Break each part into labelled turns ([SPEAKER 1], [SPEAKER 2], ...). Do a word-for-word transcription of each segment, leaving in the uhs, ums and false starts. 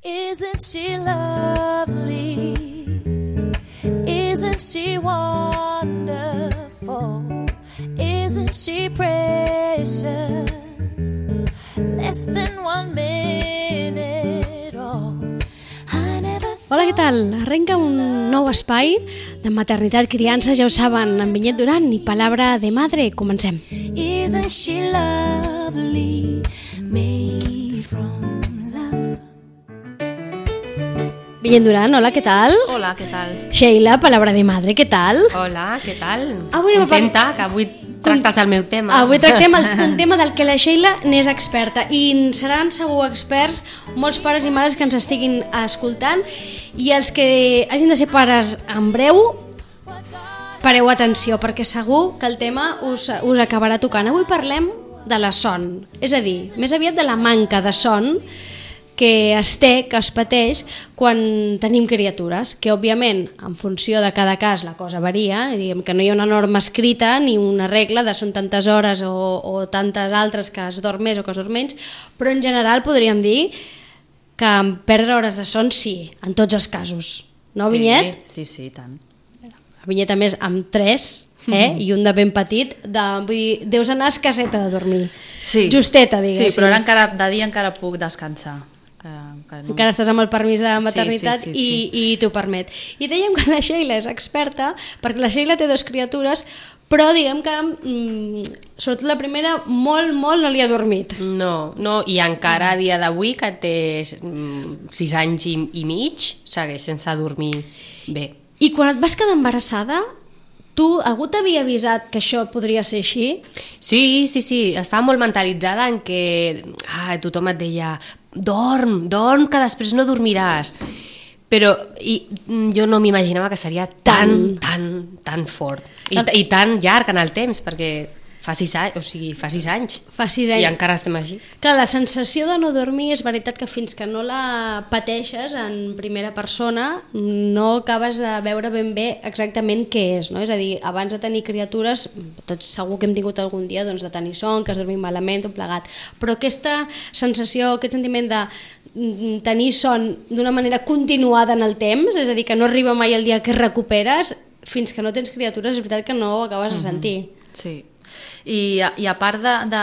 [SPEAKER 1] Isn't she lovely? Isn't she wonderful? Isn't she precious? Less than one minute old.
[SPEAKER 2] Hola, què tal? Arrenca un nou espai de maternitat, criança, ja ho saben, amb Vinyet Duran i Palabra de Madre. Comencem.
[SPEAKER 1] Isn't she lovely, made from love?
[SPEAKER 2] Vinyet Duran, hola, què tal?
[SPEAKER 3] Hola, què tal?
[SPEAKER 2] Sheila, Palabra de Madre, què tal?
[SPEAKER 3] Hola, què tal?
[SPEAKER 2] Avui anem a
[SPEAKER 3] Contenta que avui tractes el meu tema.
[SPEAKER 2] Avui tractem el, un tema del que la Sheila n'és experta i seran segur experts molts pares i mares que ens estiguin escoltant, i els que hagin de ser pares en breu, pareu atenció, perquè segur que el tema us, us acabarà tocant. Avui parlem de la son, és a dir, més aviat de la manca de son que es té, que es pateix quan tenim criatures, que òbviament en funció de cada cas la cosa varia, diguem que no hi ha una norma escrita ni una regla de són tantes hores o, o tantes altres que es dorm més o que es dorm menys, però en general podríem dir que perdre hores de son sí, en tots els casos. No, Vinyet?
[SPEAKER 3] Sí, sí, sí, tant.
[SPEAKER 2] La Vinyet, a més, amb tres, eh? I un de ben petit, de, vull dir, deus anar escasseta de dormir.
[SPEAKER 3] Sí.
[SPEAKER 2] Justeta, diguéssim.
[SPEAKER 3] Sí, però ara encara, de dia encara puc descansar.
[SPEAKER 2] Encara, encara, no. Encara estàs amb el permís de maternitat, sí, sí, sí, sí. i, i t'ho permet. I dèiem que la Sheila és experta, perquè la Sheila té dues criatures, però diguem que mmm, sobretot la primera molt, molt no li ha dormit.
[SPEAKER 4] No, no, i encara a dia d'avui, que té mm, sis anys i, i mig, segueix sense dormir bé.
[SPEAKER 2] I quan et vas quedar embarassada, tu, algú t'havia avisat que això podria ser així?
[SPEAKER 4] Sí, sí, sí, estava molt mentalitzada en que ah, tothom et deia dorm, dorm, que després no dormiràs. Però i, jo no m'imaginava que seria tan, tan, tan fort i, i tan llarg en el temps, perquè fa sis anys, o sigui, fa sis anys.
[SPEAKER 2] Fa sis anys.
[SPEAKER 4] I encara estem així.
[SPEAKER 2] Clar, la sensació de no dormir és veritat que fins que no la pateixes en primera persona no acabes de veure ben bé exactament què és, no? És a dir, abans de tenir criatures, tots segur que hem tingut algun dia doncs, de tenir son, que has dormit malament, tot plegat, però aquesta sensació, aquest sentiment de tenir son d'una manera continuada en el temps, és a dir, que no arriba mai el dia que recuperes, fins que no tens criatures és veritat que no ho acabes de sentir.
[SPEAKER 3] Sí. I, i a part de, de,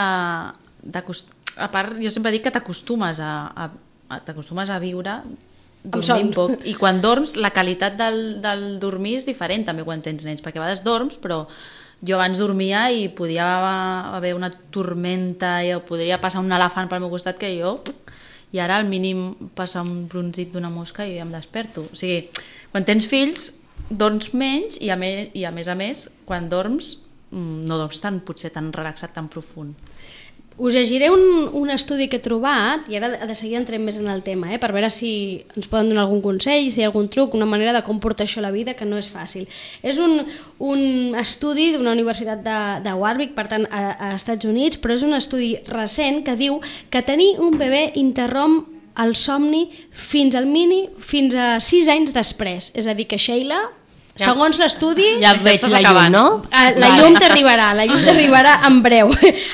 [SPEAKER 3] de a part, jo sempre dic que t'acostumes a, a, a t'acostumes a viure dormint poc, i quan dorms la qualitat del, del dormir és diferent també quan tens nens, perquè a vegades dorms però jo abans dormia i podia haver una tormenta i podria passar un elefant pel meu costat que jo, i ara al mínim passar un brunzit d'una mosca i em desperto. O sigui, quan tens fills dorms menys i a, me, i a més a més quan dorms no dorms tan, potser tan relaxat, tan profund.
[SPEAKER 2] Us llegiré un, un estudi que he trobat, i ara de seguida entrem més en el tema, eh, per veure si ens poden donar algun consell, si hi ha algun truc, una manera de com portar això a la vida, que no és fàcil. És un, un estudi d'una universitat de, de Warwick, per tant, a, a Estats Units, però és un estudi recent que diu que tenir un bebè interromp el somni fins al mini, fins a sis anys després. És a dir, que Sheila, ja, segons l'estudi,
[SPEAKER 4] ja veig la llum, no?
[SPEAKER 2] La llum t'arribarà, la llum t'arribarà en breu.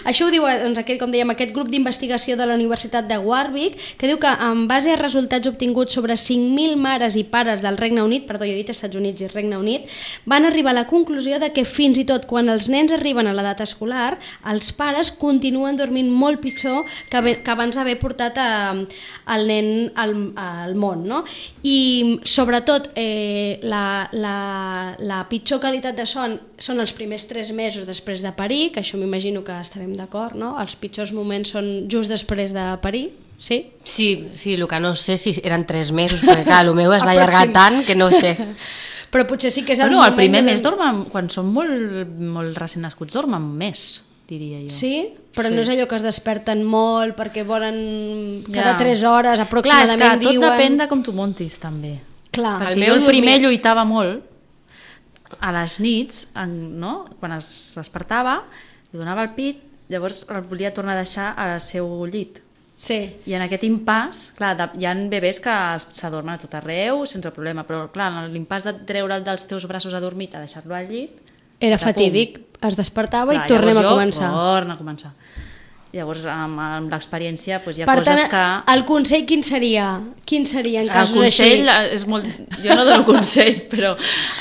[SPEAKER 2] Això ho diu, doncs, aquest, com dèiem, aquest grup d'investigació de la Universitat de Warwick, que diu que en base a resultats obtinguts sobre cinc mil mares i pares del Regne Unit, perdó, jo he dit Estats Units i Regne Unit, van arribar a la conclusió de que fins i tot quan els nens arriben a l'edat escolar, els pares continuen dormint molt pitjor que, que abans d'haver portat a, el nen al, al món, no? I sobretot eh, la, la La, la pitjor qualitat de son són els primers tres mesos després de parir, que això m'imagino que estarem d'acord, no? Els pitjors moments són just després de parir, sí?
[SPEAKER 4] Sí, sí, el que no sé si eren tres mesos, perquè clar, el meu es va allargar tant que no sé.
[SPEAKER 2] Però potser sí que és el
[SPEAKER 3] bueno,
[SPEAKER 2] moment...
[SPEAKER 3] El primer
[SPEAKER 2] de...
[SPEAKER 3] mes dormen, quan són molt, molt recent nascuts, dormen més, diria jo.
[SPEAKER 2] Sí? Però sí. No és allò que es desperten molt perquè volen cada
[SPEAKER 3] ja.
[SPEAKER 2] tres hores aproximadament.
[SPEAKER 3] Clar, és que tot
[SPEAKER 2] diuen...
[SPEAKER 3] depèn de com tu montis, també.
[SPEAKER 2] Clar.
[SPEAKER 3] Perquè el meu jo el primer dormia... lluitava molt, a les nits, en, no? Quan es despertava, li donava el pit, llavors el volia tornar a deixar al seu llit.
[SPEAKER 2] Sí.
[SPEAKER 3] I en aquest impàs, clar, de, hi ha bebès que s'adormen a tot arreu sense problema, però clar, en l'impàs de treure'l dels teus braços adormit a deixar-lo al llit...
[SPEAKER 2] Era fatídic, es despertava clar, i tornem a
[SPEAKER 3] jo,
[SPEAKER 2] començar.
[SPEAKER 3] Torna a començar. Llavors, amb, amb l'experiència, doncs, hi ha
[SPEAKER 2] Per
[SPEAKER 3] coses
[SPEAKER 2] tant,
[SPEAKER 3] que...
[SPEAKER 2] el consell quin seria? Quin seria en casos
[SPEAKER 3] el consell
[SPEAKER 2] així?
[SPEAKER 3] és molt... Jo no dono consells, però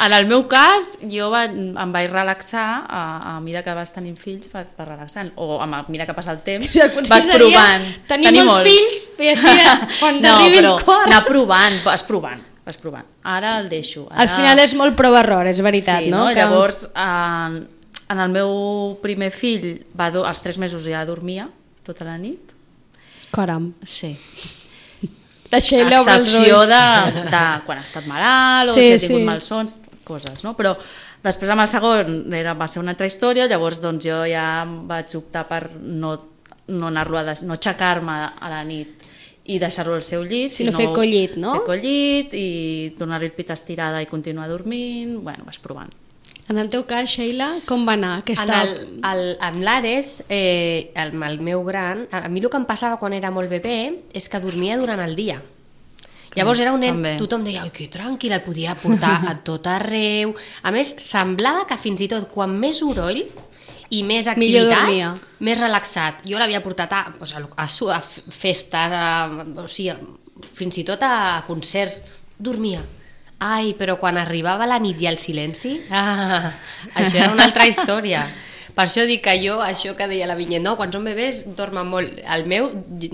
[SPEAKER 3] en el meu cas jo va, em vaig relaxar a, a mesura que vas tenint fills, vas, vas relaxant, o a mesura que passa el temps,
[SPEAKER 2] O sigui, el consell
[SPEAKER 3] vas
[SPEAKER 2] seria
[SPEAKER 3] provant.
[SPEAKER 2] tenir
[SPEAKER 3] Tenir
[SPEAKER 2] molts fills i així quan
[SPEAKER 3] no,
[SPEAKER 2] arribi el
[SPEAKER 3] però
[SPEAKER 2] quart.
[SPEAKER 3] anar provant, vas provant, vas provant. Ara el deixo. Ara...
[SPEAKER 2] Al final és molt prova-error, és veritat,
[SPEAKER 3] sí,
[SPEAKER 2] no?
[SPEAKER 3] no?
[SPEAKER 2] Que...
[SPEAKER 3] Llavors, en, en el meu primer fill, va do, als tres mesos ja dormia tota la nit.
[SPEAKER 2] Caram.
[SPEAKER 3] Sí.
[SPEAKER 2] Deixa-li obre els
[SPEAKER 3] Excepció
[SPEAKER 2] ulls.
[SPEAKER 3] de, de quan ha estat malalt o
[SPEAKER 2] Sí,
[SPEAKER 3] si ha tingut
[SPEAKER 2] sí.
[SPEAKER 3] malsons, coses, no? Però després amb el segon era, va ser una altra història, llavors doncs, jo ja vaig optar per no, no anar-lo a des, no aixecar-me a la nit i deixar-lo al seu llit,
[SPEAKER 2] Sinó fer collit, no?
[SPEAKER 3] Fer collit i donar-li el pit estirada i continuar dormint, bueno, vas provant.
[SPEAKER 2] En el teu cas, Sheila, com va anar aquesta...
[SPEAKER 4] En el, el, amb l'Ares, eh, el, el meu gran, a mi el que em passava quan era molt bebè és que dormia durant el dia. Llavors era un nen,
[SPEAKER 3] també.
[SPEAKER 4] tothom deia, oi, que tranquil, el podia portar a tot arreu. A més, semblava que fins i tot quan més soroll i més
[SPEAKER 2] Millor
[SPEAKER 4] activitat,
[SPEAKER 2] dormia.
[SPEAKER 4] més relaxat. Jo l'havia portat a, a, a, a festes, a, o sigui, fins i tot a concerts, dormia. Ai, però quan arribava la nit i el silenci, ah, això era una altra història. Per això dic que jo, això que deia la Vinyet, no, quan són bebès dormen molt. El meu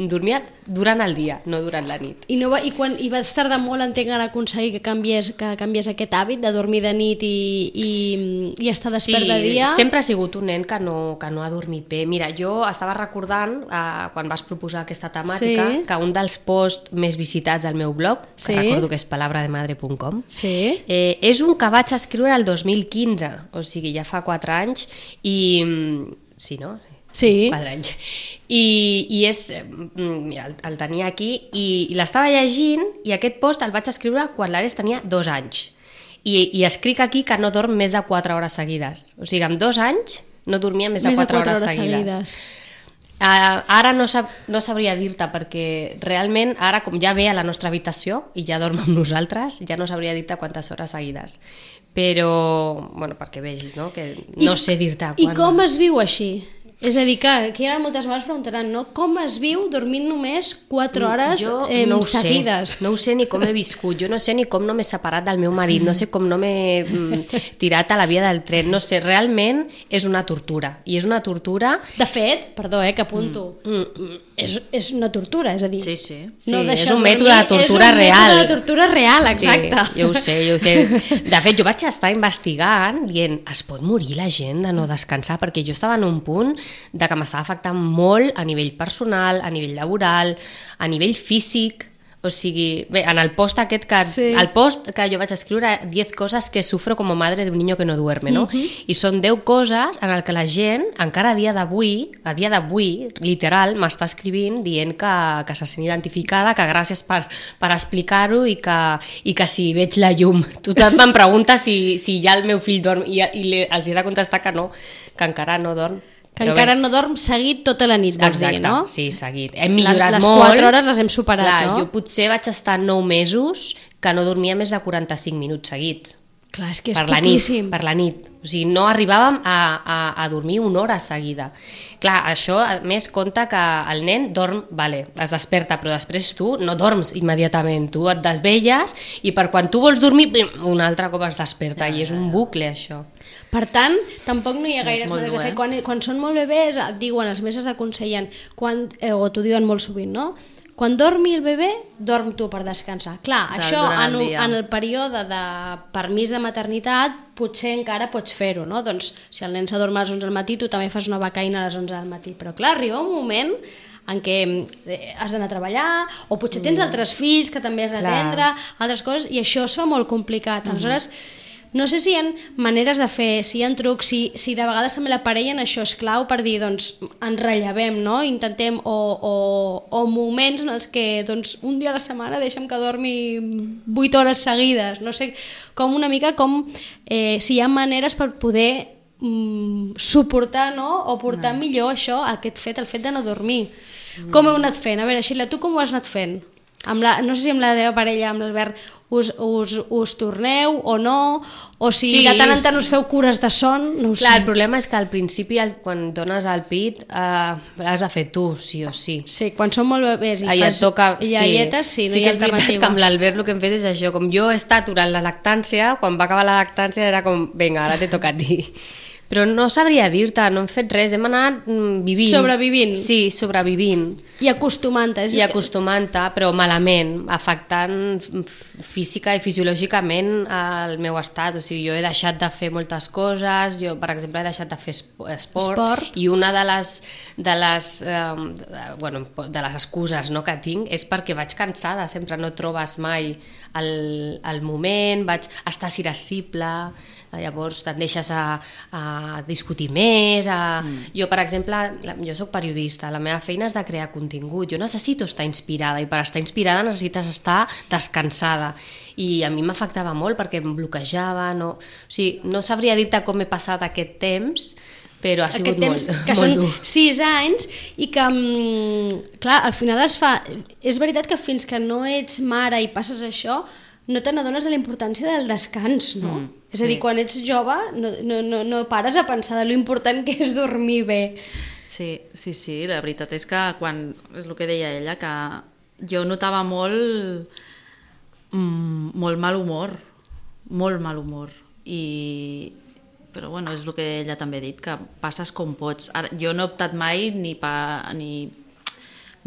[SPEAKER 4] dormia durant el dia, no durant la nit.
[SPEAKER 2] I, no va, i, quan, i vas tardar molt, entenc, a aconseguir que canvies, que canvies aquest hàbit de dormir de nit i, i, i estar despert
[SPEAKER 4] sí,
[SPEAKER 2] de dia?
[SPEAKER 4] Sí, sempre ha sigut un nen que no, que no ha dormit bé. Mira, jo estava recordant, eh, quan vas proposar aquesta temàtica,
[SPEAKER 2] Sí.
[SPEAKER 4] que un dels posts més visitats al meu blog, que
[SPEAKER 2] Sí.
[SPEAKER 4] recordo que és palabrademadre punt com,
[SPEAKER 2] Sí.
[SPEAKER 4] eh, és un que vaig escriure el dos mil quinze, o sigui, ja fa quatre anys, i... Sí, no?
[SPEAKER 2] Sí.
[SPEAKER 4] Quatre anys. I, i és, mira, el, el tenia aquí i, i l'estava llegint i aquest post el vaig escriure quan l'Ares tenia dos anys. I, I escric aquí que no dorm més de quatre hores seguides. O sigui, amb dos anys no dormia més de
[SPEAKER 2] Més de
[SPEAKER 4] quatre,
[SPEAKER 2] quatre
[SPEAKER 4] hores,
[SPEAKER 2] hores
[SPEAKER 4] seguides.
[SPEAKER 2] seguides.
[SPEAKER 4] Uh, ara no, sab, no sabria dir-te perquè realment ara com ja ve a la nostra habitació i ja dorm amb nosaltres, ja no sabria dir-te quantes hores seguides. Però, bueno, perquè vegis, no? Que no
[SPEAKER 2] I,
[SPEAKER 4] sé dir-te
[SPEAKER 2] I
[SPEAKER 4] quan...
[SPEAKER 2] com es viu així? És a dir, clar, que ara moltes vegades preguntaran, no? Com es viu dormint només quatre hores
[SPEAKER 4] jo
[SPEAKER 2] eh,
[SPEAKER 4] no ho
[SPEAKER 2] seguides?
[SPEAKER 4] Sé, no ho sé ni com he viscut, jo no sé ni com no m'he separat del meu marit, no sé com no m'he mm, tirat a la via del tren, no sé, realment és una tortura, i és una tortura...
[SPEAKER 2] De fet, perdó, eh, que apunto, mm. Mm, és, és una tortura, és a dir...
[SPEAKER 3] Sí, sí.
[SPEAKER 4] Sí,
[SPEAKER 2] no
[SPEAKER 4] és
[SPEAKER 2] deixar
[SPEAKER 4] un
[SPEAKER 2] dormir,
[SPEAKER 4] mètode de tortura
[SPEAKER 2] és un
[SPEAKER 4] real.
[SPEAKER 2] mètode de tortura real, exacte.
[SPEAKER 4] Sí, jo ho sé, jo ho sé. De fet, jo vaig estar investigant, dient, es pot morir la gent de no descansar? Perquè jo estava en un punt de que m'estava afectant molt a nivell personal, a nivell laboral, a nivell físic. O sigui, bé, en el post aquest que...
[SPEAKER 2] Sí.
[SPEAKER 4] El post que jo vaig escriure, diez coses que sufro como madre de un niño que no duerme, no? Uh-huh. I són deu coses en el que la gent, encara a dia d'avui, a dia d'avui, literal, m'està escrivint dient que, que se sent identificada, que gràcies per, per explicar-ho i, que, i que si veig la llum. Tothom em pregunta si, si ja el meu fill dorm i, i li, els he de contestar que no, que encara no dorm.
[SPEAKER 2] Que
[SPEAKER 4] Però
[SPEAKER 2] encara
[SPEAKER 4] bé.
[SPEAKER 2] no dorm seguit tota la nit, vols
[SPEAKER 4] Exacte,
[SPEAKER 2] dir, no?
[SPEAKER 4] sí, seguit. Hem millorat
[SPEAKER 2] les, les
[SPEAKER 4] molt.
[SPEAKER 2] Les quatre hores les hem superat,
[SPEAKER 4] Clar,
[SPEAKER 2] no?
[SPEAKER 4] jo potser vaig estar nou mesos que no dormia més de quaranta-cinc minuts seguits.
[SPEAKER 2] Clar, és que és
[SPEAKER 4] per la nit,
[SPEAKER 2] poquíssim.
[SPEAKER 4] per la nit. O sigui, no arribàvem a, a, a dormir una hora seguida. Clar, això a més compta que el nen dorm, vale, es desperta, però després tu no dorms immediatament, tu et desvelles i per quan tu vols dormir, pim, un altre cop es desperta, ja, i és un bucle això.
[SPEAKER 2] Per tant, tampoc no hi ha
[SPEAKER 3] Sí,
[SPEAKER 2] gaires
[SPEAKER 3] és molt
[SPEAKER 2] maneres de
[SPEAKER 3] dur,
[SPEAKER 2] fer.
[SPEAKER 3] eh?
[SPEAKER 2] Quan, quan són molt bebès, et diuen, els mestres aconsellen, quan, eh, o t'ho diuen molt sovint, no? Quan dormi el bebè, dorm tu per descansar. Clar,
[SPEAKER 3] De-
[SPEAKER 2] això
[SPEAKER 3] durant el
[SPEAKER 2] en,
[SPEAKER 3] dia.
[SPEAKER 2] en el període de permís de maternitat potser encara pots fer-ho, no? Doncs si el nen s'adorm a les onze del matí, tu també fas una becaina a les onze del matí. Però clar, arriba un moment en què eh, has d'anar a treballar, o potser tens altres fills que també has d'atendre, altres coses, i això es fa molt complicat. Aleshores, no sé si hi ha maneres de fer, si hi ha trucs, si, si de vegades també la parella en això és clau per dir, doncs, ens rellevem, no? Intentem, o, o, o moments en els que, doncs, un dia a la setmana deixem que dormi vuit hores seguides, no sé, com una mica com eh, si hi ha maneres per poder mm, suportar, no? O portar no. millor això, aquest fet, el fet de no dormir. Mm. Com heu anat fent? A veure, Sheila, tu com ho has anat fent? Amb la, no sé si amb la teva parella, amb l'Albert, us, us, us torneu o no, o si
[SPEAKER 4] Sí,
[SPEAKER 2] de tant en
[SPEAKER 4] és-
[SPEAKER 2] tant us feu cures de son, no ho
[SPEAKER 4] Clar,
[SPEAKER 2] sé.
[SPEAKER 4] el problema és que al principi, el, quan dones el pit, eh, l'has de fer tu, sí o sí.
[SPEAKER 2] Sí, quan són molt bebès i
[SPEAKER 4] Allà
[SPEAKER 2] fas
[SPEAKER 4] et toca...
[SPEAKER 2] iaietes, sí, no
[SPEAKER 4] sí
[SPEAKER 2] hi
[SPEAKER 4] que
[SPEAKER 2] ha
[SPEAKER 4] és veritat
[SPEAKER 2] alternativa.
[SPEAKER 4] que amb l'Albert el que hem fet és això, com jo he estat durant la lactància, quan va acabar la lactància era com, vinga, ara te toca a ti. Però no sabria dir-te, no hem fet res, hem anat mm, vivint.
[SPEAKER 2] Sobrevivint.
[SPEAKER 4] Sí, sobrevivint.
[SPEAKER 2] I acostumant-te. és-
[SPEAKER 4] I acostumant-te, però malament, afectant f- física i fisiològicament el meu estat. O sigui, jo he deixat de fer moltes coses, jo, per exemple, he deixat de fer espo- esport,
[SPEAKER 2] Esport.
[SPEAKER 4] i una de les, de les, eh, de, bueno, de les excuses, no, que tinc és perquè vaig cansada, sempre no trobes mai el, el moment, vaig estar irascible, llavors te'n deixes a, a discutir més, a... Mm. Jo, per exemple, la, jo sóc periodista, la meva feina és de crear contingut, jo necessito estar inspirada, i per estar inspirada necessites estar descansada, i a mi m'afectava molt perquè em bloquejava, no, o sigui, no sabria dir-te com he passat aquest temps, però ha sigut
[SPEAKER 2] aquest temps
[SPEAKER 4] molt,
[SPEAKER 2] que
[SPEAKER 4] molt
[SPEAKER 2] són
[SPEAKER 4] dur.
[SPEAKER 2] sis anys i que, mm, clar, al final es fa... És veritat que fins que no ets mare i passes això, no te n'adones de la importància del descans, no?
[SPEAKER 3] Mm,
[SPEAKER 2] és a dir,
[SPEAKER 3] sí.
[SPEAKER 2] quan ets jove no, no, no, no pares a pensar de lo important que és dormir bé.
[SPEAKER 3] Sí, sí, sí, la veritat és que quan, és el que deia ella, que jo notava molt, mm, molt mal humor, molt mal humor, i, però bueno, és el que ella també ha dit, que passes com pots. Ara, jo no he optat mai ni, pa, ni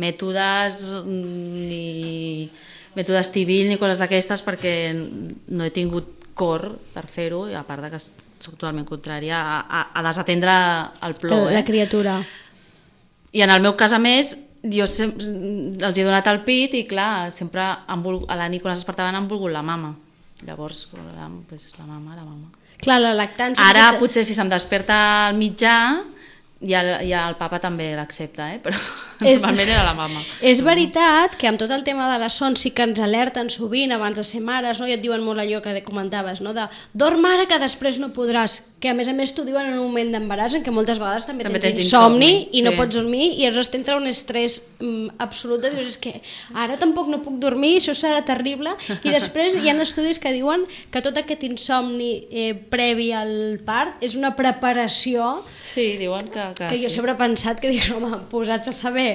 [SPEAKER 3] mètodes, ni mètodes Tibil, ni coses d'aquestes, perquè no he tingut cor per fer-ho, i a part de que soc totalment contrària a, a, a desatendre el plor.
[SPEAKER 2] La
[SPEAKER 3] Eh?
[SPEAKER 2] criatura.
[SPEAKER 3] I en el meu cas, a més, jo sem- els he donat el pit i, clar, sempre han volgut, a la nit quan es despertaven han volgut la mama. Llavors, la, pues, la mama, la mama.
[SPEAKER 2] Clar, la lactància...
[SPEAKER 3] Ara,
[SPEAKER 2] que-
[SPEAKER 3] potser, si se'm desperta al mitjà, ja, ja el papa també l'accepta, eh? Però
[SPEAKER 2] És-
[SPEAKER 3] normalment era la mama.
[SPEAKER 2] És veritat que amb tot el tema de la son sí que ens alerten sovint abans de ser mares, no? I et diuen molt allò que comentaves, no? De dorm ara que després no podràs, que a més a més t'ho diuen en un moment d'embaràs en què moltes vegades també,
[SPEAKER 3] També
[SPEAKER 2] tens,
[SPEAKER 3] tens
[SPEAKER 2] insomni,
[SPEAKER 3] insomni,
[SPEAKER 2] i no
[SPEAKER 3] sí.
[SPEAKER 2] pots dormir i aleshores t'entra un estrès mm, absolut de dir, és que ara tampoc no puc dormir, això serà terrible, i després hi ha estudis que diuen que tot aquest insomni eh, previ al part és una preparació
[SPEAKER 3] Sí, diuen que, que,
[SPEAKER 2] que jo
[SPEAKER 3] sí.
[SPEAKER 2] sempre he pensat que dic, home, posats a saber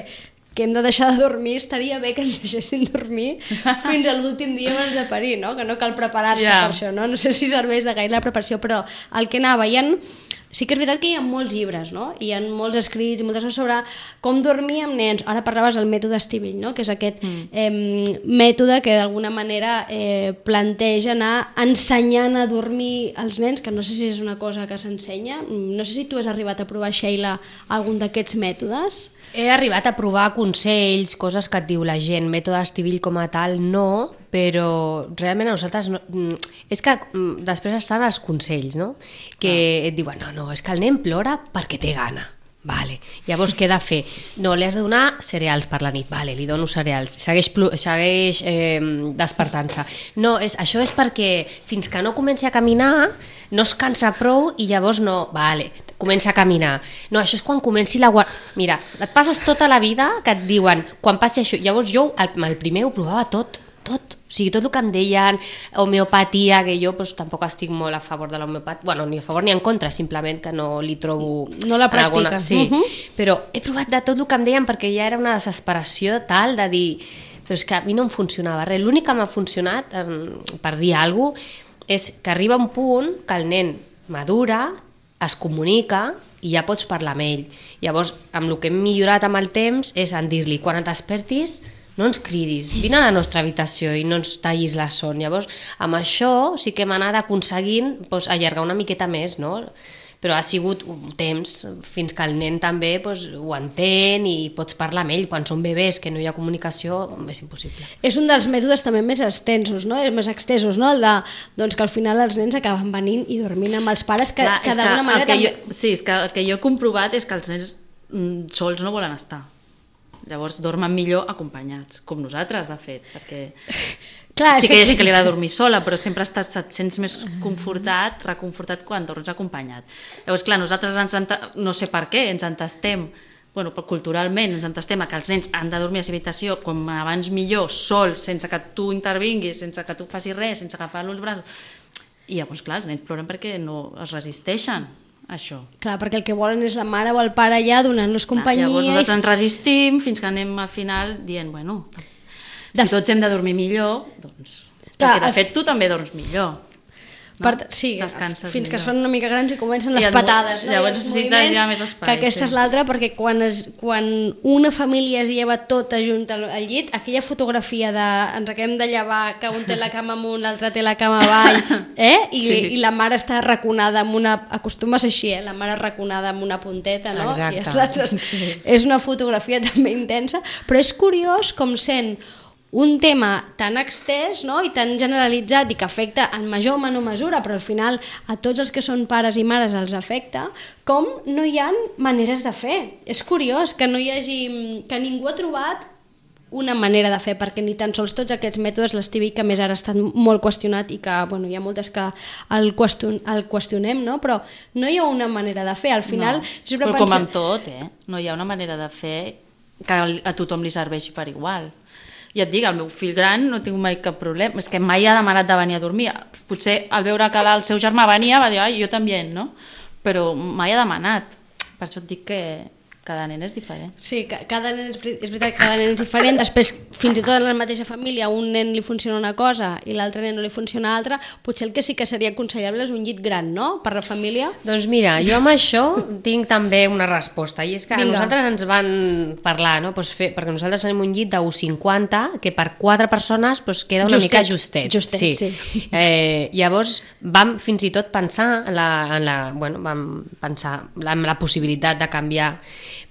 [SPEAKER 2] que hem de deixar de dormir, estaria bé que ens deixessin dormir fins a l'últim dia abans de parir, no? Que no cal preparar-se
[SPEAKER 3] Ja.
[SPEAKER 2] per això, no? No sé si serveix de gaire la preparació, però el que anava, hi ha... Sí que és veritat que hi ha molts llibres, no? Hi ha molts escrits i moltes coses sobre com dormir amb nens. Ara parlaves del mètode Estivill, no? Que és aquest mm. eh, mètode que d'alguna manera eh, planteja anar ensenyant a dormir als nens, que no sé si és una cosa que s'ensenya. No sé si tu has arribat a provar, Sheila, algun d'aquests mètodes.
[SPEAKER 4] He arribat a provar consells, coses que et diu la gent, mètode Estivill com a tal, no, però realment a nosaltres no, mm, és que mm, després estan els consells, no? Que ah. et diuen, no, no, és que el nen plora perquè té gana. Vale. Llavors què he de fer? No, li has de donar cereals per la nit. Vale, li dono cereals. Segueix, plu- segueix eh, despertant-se. No, és, això és perquè fins que no comenci a caminar no es cansa prou i llavors no... Vale, comença a caminar. No, això és quan comenci la guarda... Mira, et passes tota la vida que et diuen quan passi això... Llavors jo el, el primer ho provava tot, tot. O sigui, tot el que em deien, homeopatia, que jo pues, tampoc estic molt a favor de l'homeopatia, bueno, ni a favor ni en contra, simplement que no li trobo...
[SPEAKER 2] No la
[SPEAKER 4] en alguna-
[SPEAKER 2] practiques.
[SPEAKER 4] Sí,
[SPEAKER 2] Uh -huh.
[SPEAKER 4] però he provat de tot el que em deien perquè ja era una desesperació tal de dir... Però és que a mi no em funcionava res. L'únic que m'ha funcionat, em, per dir alguna cosa, és que arriba un punt que el nen madura, es comunica i ja pots parlar amb ell. Llavors, amb el que hem millorat amb el temps és en dir-li, quan et despertis, no ens cridis, vine a la nostra habitació i no ens tallis la son. Llavors, amb això sí que hem anat aconseguint doncs, allargar una miqueta més, no? Però ha sigut un temps fins que el nen també doncs, ho entén i pots parlar amb ell. Quan són bebès que no hi ha comunicació és impossible.
[SPEAKER 2] És un dels mètodes també més extensos, no? Més extensos, no? El de, doncs, que al final els nens acaben venint i dormint amb els pares, que,
[SPEAKER 3] Clar,
[SPEAKER 2] que
[SPEAKER 3] és
[SPEAKER 2] d'alguna
[SPEAKER 3] el
[SPEAKER 2] manera
[SPEAKER 3] que
[SPEAKER 2] també...
[SPEAKER 3] jo, sí, és que el que jo he comprovat és que els nens mm, sols no volen estar. Llavors dormen millor acompanyats, com nosaltres, de fet, perquè
[SPEAKER 2] Clar,
[SPEAKER 3] sí
[SPEAKER 2] és
[SPEAKER 3] que hi ha gent que li ha de dormir sola, però sempre estàs, et sents més confortat, reconfortat quan dorms acompanyat. Llavors, clar, nosaltres ens enta... no sé per què, ens entestem bueno, culturalment ens entestem a que els nens han de dormir a la seva habitació com abans millor, sols, sense que tu intervinguis, sense que tu facis res, sense agafar-lo als braços. I llavors, clar, els nens ploren perquè no es resisteixen a això.
[SPEAKER 2] Clar, perquè el que volen és la mare o el pare allà donant-los companyia.
[SPEAKER 3] Llavors nosaltres
[SPEAKER 2] i...
[SPEAKER 3] ens resistim fins que anem al final dient, bueno, si de... tots hem de dormir millor, doncs... Clar, perquè de fet tu també dorms millor. No?
[SPEAKER 2] Per, sí,
[SPEAKER 3] descanses
[SPEAKER 2] fins
[SPEAKER 3] millor.
[SPEAKER 2] que es fan una mica grans i comencen les
[SPEAKER 3] I et,
[SPEAKER 2] patades, no?
[SPEAKER 3] Llavors necessites ja més espai.
[SPEAKER 2] Que aquesta
[SPEAKER 3] sí.
[SPEAKER 2] és l'altra, perquè quan, es, quan una família es lleva tota junta al llit, aquella fotografia de ens acabem de llevar, que un té la cama amunt, l'altre té la cama avall, eh? I, sí. i la mare està arraconada amb una... Acostumes així, eh? La mare arraconada amb una punteta, no?
[SPEAKER 4] Exacte.
[SPEAKER 2] I els altres... sí. És una fotografia també intensa, però és curiós com sent un tema tan extès, no? I tan generalitzat i que afecta en major o menor mesura, però al final a tots els que són pares i mares els afecta, com no hi ha maneres de fer. És curiós que no hi hagi... que ningú ha trobat una manera de fer, perquè ni tan sols tots aquests mètodes, l'Stevie, que més ara estan molt qüestionat i que bueno, hi ha moltes que el, qüestion, el qüestionem, no? Però no hi ha una manera de fer. Al final...
[SPEAKER 3] No, però com amb tot, eh? No hi ha una manera de fer que a tothom li serveixi per igual. Ja et dic, el meu fill gran no tinc mai cap problema, és que mai ha demanat de venir a dormir. Potser al veure que el seu germà venia va dir, ai, jo també, no? Però mai ha demanat. Per això et dic que cada nen és diferent.
[SPEAKER 2] Sí, cada nen és, és veritat que cada nen és diferent. Després, fins i tot en la mateixa família, un nen li funciona una cosa i l'altre nen no li funciona altra. Potser el que sí que seria aconsellable és un llit gran, no?, per la família.
[SPEAKER 4] Doncs mira, jo amb això tinc també una resposta, i és que
[SPEAKER 2] Vinga.
[SPEAKER 4] a nosaltres ens van parlar, no? Pues fer, perquè nosaltres tenim un llit d'un cinquanta, que per quatre persones pues, queda una
[SPEAKER 2] justet,
[SPEAKER 4] mica justet.
[SPEAKER 2] Justet, sí. sí.
[SPEAKER 4] Eh, llavors vam fins i tot pensar en la, en la, bueno, vam pensar en la possibilitat de canviar.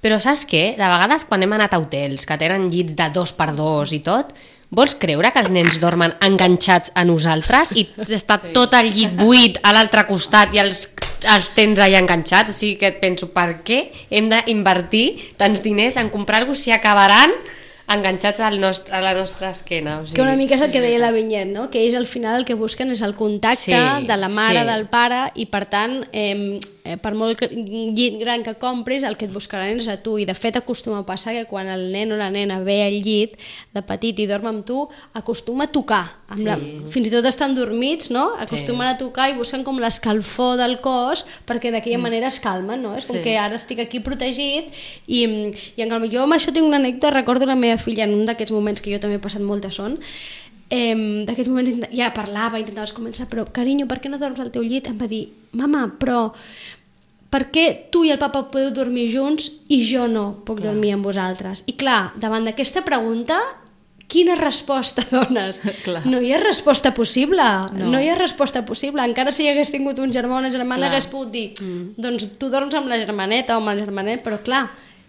[SPEAKER 4] Però saps què? De vegades quan hem anat a hotels que tenen llits de dos per dos i tot, vols creure que els nens dormen enganxats a nosaltres i està sí. tot el llit buit a l'altre costat i els, els tens allà enganxats? O sigui que et penso, per què hem d'invertir tants diners en comprar alguna cosa si acabaran enganxats al nostre, a la nostra esquena? O sigui,
[SPEAKER 2] que una mica és el que deia la Vinyet, no? Que ells al final el que busquen és el contacte
[SPEAKER 4] sí,
[SPEAKER 2] de la mare,
[SPEAKER 4] sí.
[SPEAKER 2] del pare, i per tant eh, eh, per molt llit gran que compris, el que et buscaran és a tu, i de fet acostuma a passar que quan el nen o la nena ve al llit de petit i dorm amb tu, acostuma a tocar amb
[SPEAKER 4] sí.
[SPEAKER 2] la, fins i tot estan dormits, no? Acostumen sí. a tocar i busquen com l'escalfor del cos perquè d'aquella mm. manera es calmen, no? És com sí. que ara estic aquí protegit i, i en canvi jo amb això tinc una anècdota. Recordo la meva filla en un d'aquests moments que jo també he passat molta son, eh, d'aquests moments ja parlava, intentava començar, però carinyo, per què no dorms al teu llit? Em va dir, mama, però per què tu i el papa podeu dormir junts i jo no puc clar. dormir amb vosaltres? I clar, davant d'aquesta pregunta, quina resposta dones? Clar. No hi ha resposta possible, no. no hi ha resposta possible. Encara si hi hagués tingut un germà o una germana hagués pogut dir, mm. doncs tu dorms amb la germaneta o amb el germanet, però clar,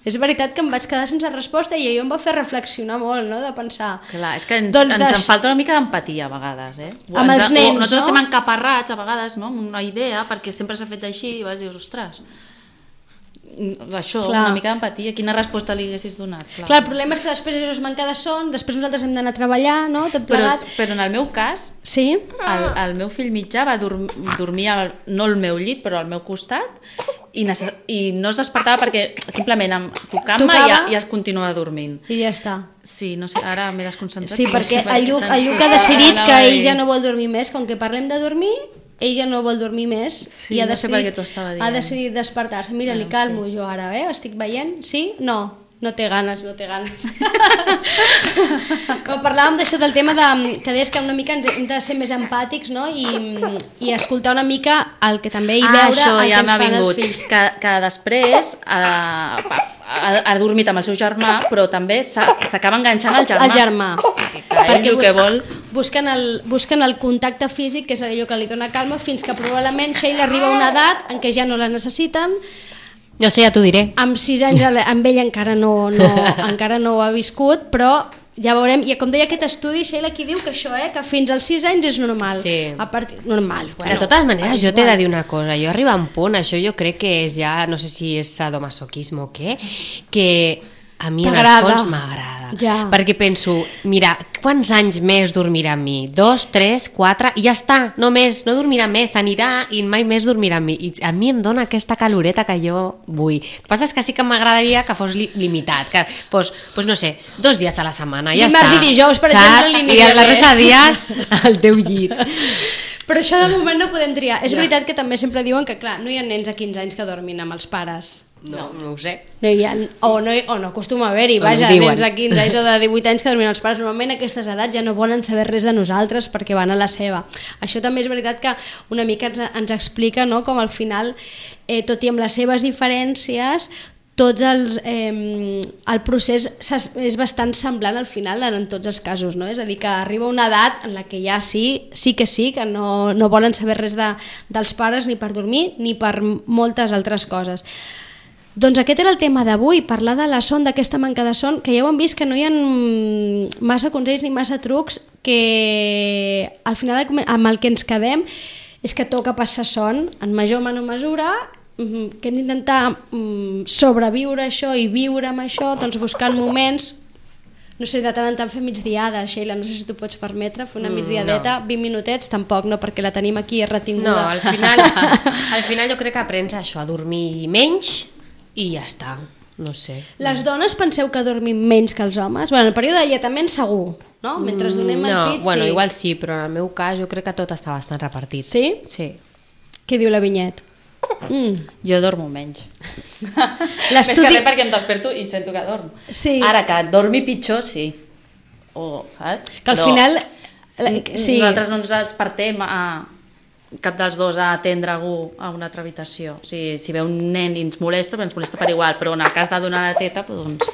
[SPEAKER 2] és veritat que em vaig quedar sense resposta i allò em va fer reflexionar molt, no?, de pensar...
[SPEAKER 3] Clar, és que ens,
[SPEAKER 2] doncs
[SPEAKER 3] ens
[SPEAKER 2] des...
[SPEAKER 3] en falta una mica d'empatia a vegades, eh?
[SPEAKER 2] Amb els nens,
[SPEAKER 3] o nosaltres
[SPEAKER 2] no?
[SPEAKER 3] estem encaparrats a vegades, no?, amb una idea, perquè sempre s'ha fet així i vas dir, ostres, això, clar. Una mica d'empatia, quina resposta li haguessis donat? Clar.
[SPEAKER 2] Clar, el problema és que després això es manca de son, després nosaltres hem d'anar a treballar, no?, tot plegat.
[SPEAKER 3] Però, però en el meu cas,
[SPEAKER 2] sí?
[SPEAKER 3] el, el meu fill mitjà va dorm, dormir, al, no al meu llit, però al meu costat, i, necess... i no es despertava perquè simplement amb tocant-me ja, ja es continuava dormint.
[SPEAKER 2] I ja està.
[SPEAKER 3] Sí, no sé, ara m'he desconcentrat.
[SPEAKER 2] Sí, perquè el Lluc, el Lluc ha decidit que ell ja no vol dormir més, com que parlem de dormir, ell ja no vol dormir més.
[SPEAKER 3] Sí,
[SPEAKER 2] i ha
[SPEAKER 3] no sé per què t'ho
[SPEAKER 2] decidit,
[SPEAKER 3] estava dient.
[SPEAKER 2] ha decidit despertar-se. Mira,
[SPEAKER 3] no,
[SPEAKER 2] li calmo
[SPEAKER 3] sí.
[SPEAKER 2] jo ara, eh? Estic veient? Sí? No. No té ganes, no té ganes. Però parlàvem d'això del tema de, que deies que una mica ens hem de ser més empàtics, no? I, i escoltar una mica el que també hi
[SPEAKER 3] ah,
[SPEAKER 2] veure
[SPEAKER 3] això,
[SPEAKER 2] el
[SPEAKER 3] ja
[SPEAKER 2] que ens fan
[SPEAKER 3] vingut.
[SPEAKER 2] els fills.
[SPEAKER 3] Que, que després eh, ha, ha dormit amb el seu germà, però també s'acaba enganxant al germà.
[SPEAKER 2] El germà.
[SPEAKER 3] Sí, perquè ell el que vol...
[SPEAKER 2] Busquen el, busquen el contacte físic, que és allò que li dona calma, fins que probablement Sheila arriba a una edat en què ja no la necessiten.
[SPEAKER 4] No sé, ja t'ho diré.
[SPEAKER 2] Amb sis anys amb ell encara no, no, encara no ho ha viscut, però ja veurem. I com deia aquest estudi, Sheila, aquí diu que això, eh, que fins als sis anys és normal.
[SPEAKER 4] Sí.
[SPEAKER 2] A partir, normal.
[SPEAKER 4] Bueno, de totes maneres, jo t'he de dir una cosa. Jo arriba a un punt, això jo crec que és ja, no sé si és sadomasoquisme o què, que a mi en el
[SPEAKER 2] T'agrada.
[SPEAKER 4] fons m'agrada.
[SPEAKER 2] Ja.
[SPEAKER 4] Perquè penso, mira, quants anys més dormirà amb mi? Dos, tres, quatre, i ja està, no més, no dormirà més, s'anirà i mai més dormirà amb mi. I a mi em dona aquesta caloreta que jo vull. El que passa és que sí que m'agradaria que fos li limitat, que fos, pues no sé, dos dies a la setmana, ja
[SPEAKER 2] Dimarts
[SPEAKER 4] està.
[SPEAKER 2] i dijous, per
[SPEAKER 4] saps?
[SPEAKER 2] exemple, li aniria
[SPEAKER 4] I la
[SPEAKER 2] bé.
[SPEAKER 4] resta de dies al teu llit.
[SPEAKER 2] Però això de moment no podem triar. És
[SPEAKER 3] Ja.
[SPEAKER 2] veritat que també sempre diuen que, clar, no hi ha nens a quinze anys que dormin amb els pares.
[SPEAKER 4] No, no ho sé.
[SPEAKER 2] No hi ha, o, no, o no acostuma a haver-hi,
[SPEAKER 4] O
[SPEAKER 2] vaja,
[SPEAKER 4] no diuen.
[SPEAKER 2] nens de quinze anys o de divuit anys que dormin els pares. Normalment a aquestes edats ja no volen saber res de nosaltres perquè van a la seva. Això també és veritat que una mica ens, ens explica, no?, com al final, eh, tot i amb les seves diferències, tots els, eh, el procés és bastant semblant al final en tots els casos, no? És a dir, que arriba una edat en la que ja sí, sí que sí, que no, no volen saber res de, dels pares ni per dormir ni per moltes altres coses. Doncs aquest era el tema d'avui, parlar de la son, d'aquesta manca de son, que ja ho hem vist que no hi ha massa consells ni massa trucs, que al final amb el que ens quedem és que toca passar son en major o menor mesura, que hem d'intentar sobreviure això i viure amb això, doncs buscant moments, no sé, de tant en tant fer migdiada, Sheila, no sé si tu pots permetre fer una migdiadeta, no. vint minutets, tampoc, no, perquè la tenim aquí retinguda.
[SPEAKER 4] No, al final, al final jo crec que aprens això, a dormir menys i ja està, no sé.
[SPEAKER 2] Les dones penseu que dormim menys que els homes? Bueno, en el període d'alletament segur, no? Mentre donem el
[SPEAKER 4] no,
[SPEAKER 2] pit,
[SPEAKER 4] bueno,
[SPEAKER 2] sí.
[SPEAKER 4] igual sí, però en el meu cas jo crec que tot està bastant repartit.
[SPEAKER 2] Sí?
[SPEAKER 4] Sí.
[SPEAKER 2] Què diu la Vinyet? Mm.
[SPEAKER 3] Jo dormo menys. Més que res perquè em desperto i sento que dormo.
[SPEAKER 2] Sí.
[SPEAKER 3] Ara, que dormi pitjor, sí. O, saps?
[SPEAKER 2] Que al
[SPEAKER 3] Però
[SPEAKER 2] final... Sí.
[SPEAKER 3] Nosaltres no ens despertem a cap dels dos a atendre algú a una altra habitació. O sigui, si ve un nen i ens molesta, però ens molesta per igual, però en el cas de donar la teta, doncs...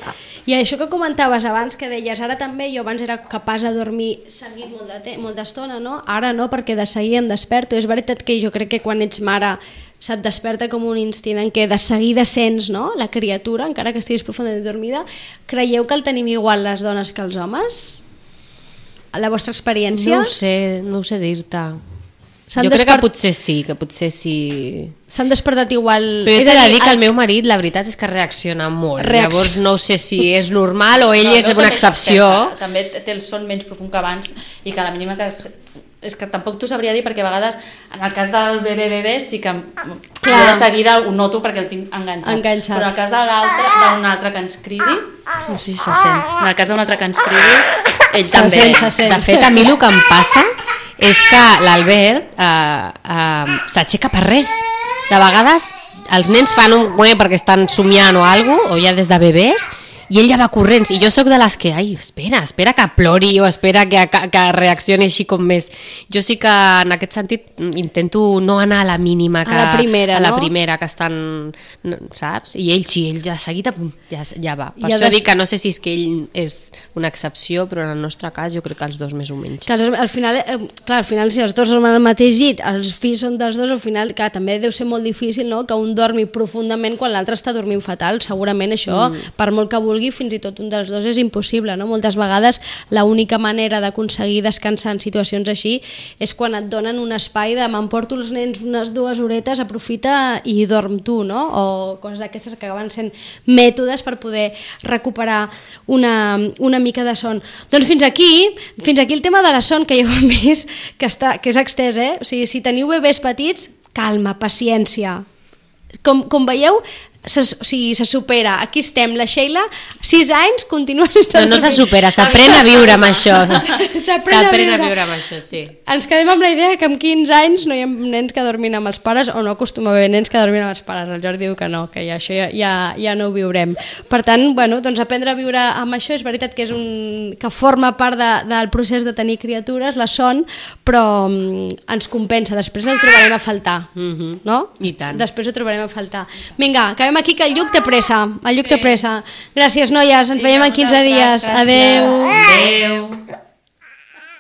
[SPEAKER 2] I això que comentaves abans, que deies, ara també jo abans era capaç de dormir seguit molt de molt d'estona, no? Ara no, perquè de seguir em desperto. És veritat que jo crec que quan ets mare se't desperta com un instint en què de seguida sents, no?, la criatura, encara que estiguis profundament dormida. Creieu que el tenim igual les dones que els homes? A la vostra experiència?
[SPEAKER 4] No ho sé, no ho sé dir-te.
[SPEAKER 2] S'han
[SPEAKER 4] Jo crec
[SPEAKER 2] despert...
[SPEAKER 4] que potser sí, que potser sí...
[SPEAKER 2] S'han despertat igual...
[SPEAKER 4] Però jo
[SPEAKER 2] És
[SPEAKER 4] t'he
[SPEAKER 2] a
[SPEAKER 4] de
[SPEAKER 2] dir,
[SPEAKER 4] dir que
[SPEAKER 2] el-
[SPEAKER 4] el meu marit, la veritat és que reacciona molt.
[SPEAKER 2] Reacc-
[SPEAKER 4] Llavors no sé si és normal o ell
[SPEAKER 3] No,
[SPEAKER 4] és
[SPEAKER 3] no,
[SPEAKER 4] una
[SPEAKER 3] també
[SPEAKER 4] excepció.
[SPEAKER 3] desperta. També té el son menys profund que abans i que a la mínima que... És, és que tampoc t'ho sabria dir perquè a vegades en el cas del bebè bebè sí que
[SPEAKER 2] Clar.
[SPEAKER 3] jo de seguida ho noto perquè el tinc enganxat.
[SPEAKER 2] Enganxat.
[SPEAKER 3] Però en el cas de l'altre, d'un altre que ens cridi, no sé si se sent, en el cas d'un altre que ens cridi, ell
[SPEAKER 2] Se
[SPEAKER 3] també.
[SPEAKER 2] sent, se sent.
[SPEAKER 4] De fet, a mi el que em passa és que l'Albert eh, eh, s'aixeca per res. De vegades els nens fan un gué perquè estan somiant o alguna cosa, o ja des de bebès, i ell ja va corrents, i jo sóc de les que, ai, espera, espera que plori o espera que, que, que reaccioni així com més. Jo sí que en aquest sentit intento no anar a la mínima, que,
[SPEAKER 2] A la primera,
[SPEAKER 4] a la
[SPEAKER 2] no?
[SPEAKER 4] primera que estan, saps? I ell sí, ell ja de seguida pum, ja, ja va. Per
[SPEAKER 2] Ja
[SPEAKER 4] això
[SPEAKER 2] des-
[SPEAKER 4] dic que no sé si és que ell és una excepció, però en el nostre cas jo crec que els dos més o menys.
[SPEAKER 2] Que els, al final, eh, clar, al final si els dos dormen al mateix llit, els fills són dels dos, al final que també deu ser molt difícil, no?, que un dormi profundament quan l'altre està dormint fatal. Segurament això, mm. per molt que vulgui, fins i tot un dels dos és impossible, no? Moltes vegades l'única manera d'aconseguir descansar en situacions així és quan et donen un espai de m'emporto els nens unes dues horetes, aprofita i dorm tu, no? O coses d'aquestes que acaben sent mètodes per poder recuperar una, una mica de son. Doncs fins aquí, fins aquí el tema de la son, que ja ho hem vist que, està, que és extès, eh? O sigui, si teniu bebès petits, calma, paciència. Com, com veieu, se, o sigui, se supera. Aquí estem, la Sheila, sis anys, continua sense
[SPEAKER 4] No, no se
[SPEAKER 2] dormir.
[SPEAKER 4] supera, s'aprèn a viure amb això.
[SPEAKER 2] S'aprèn a
[SPEAKER 4] S'aprèn a
[SPEAKER 2] viure.
[SPEAKER 4] viure amb això, sí.
[SPEAKER 2] Ens quedem amb la idea que amb quinze anys no hi ha nens que dormin amb els pares, o no acostuma a haver nens que dormin amb els pares. El Jordi diu que no, que ja, això ja, ja, ja no ho viurem. Per tant, bueno, doncs aprendre a viure amb això és veritat que és un que forma part de, del procés de tenir criatures, la son, però um, ens compensa. Després el trobarem a faltar,
[SPEAKER 4] Mhm.
[SPEAKER 2] no?
[SPEAKER 4] I tant.
[SPEAKER 2] Després ho trobarem a faltar. Vinga, acabem aquí que el Lluc té pressa. El Lluc té pressa. Gràcies, noies. Ens veiem en quinze dies. Adeu.
[SPEAKER 3] Adeu.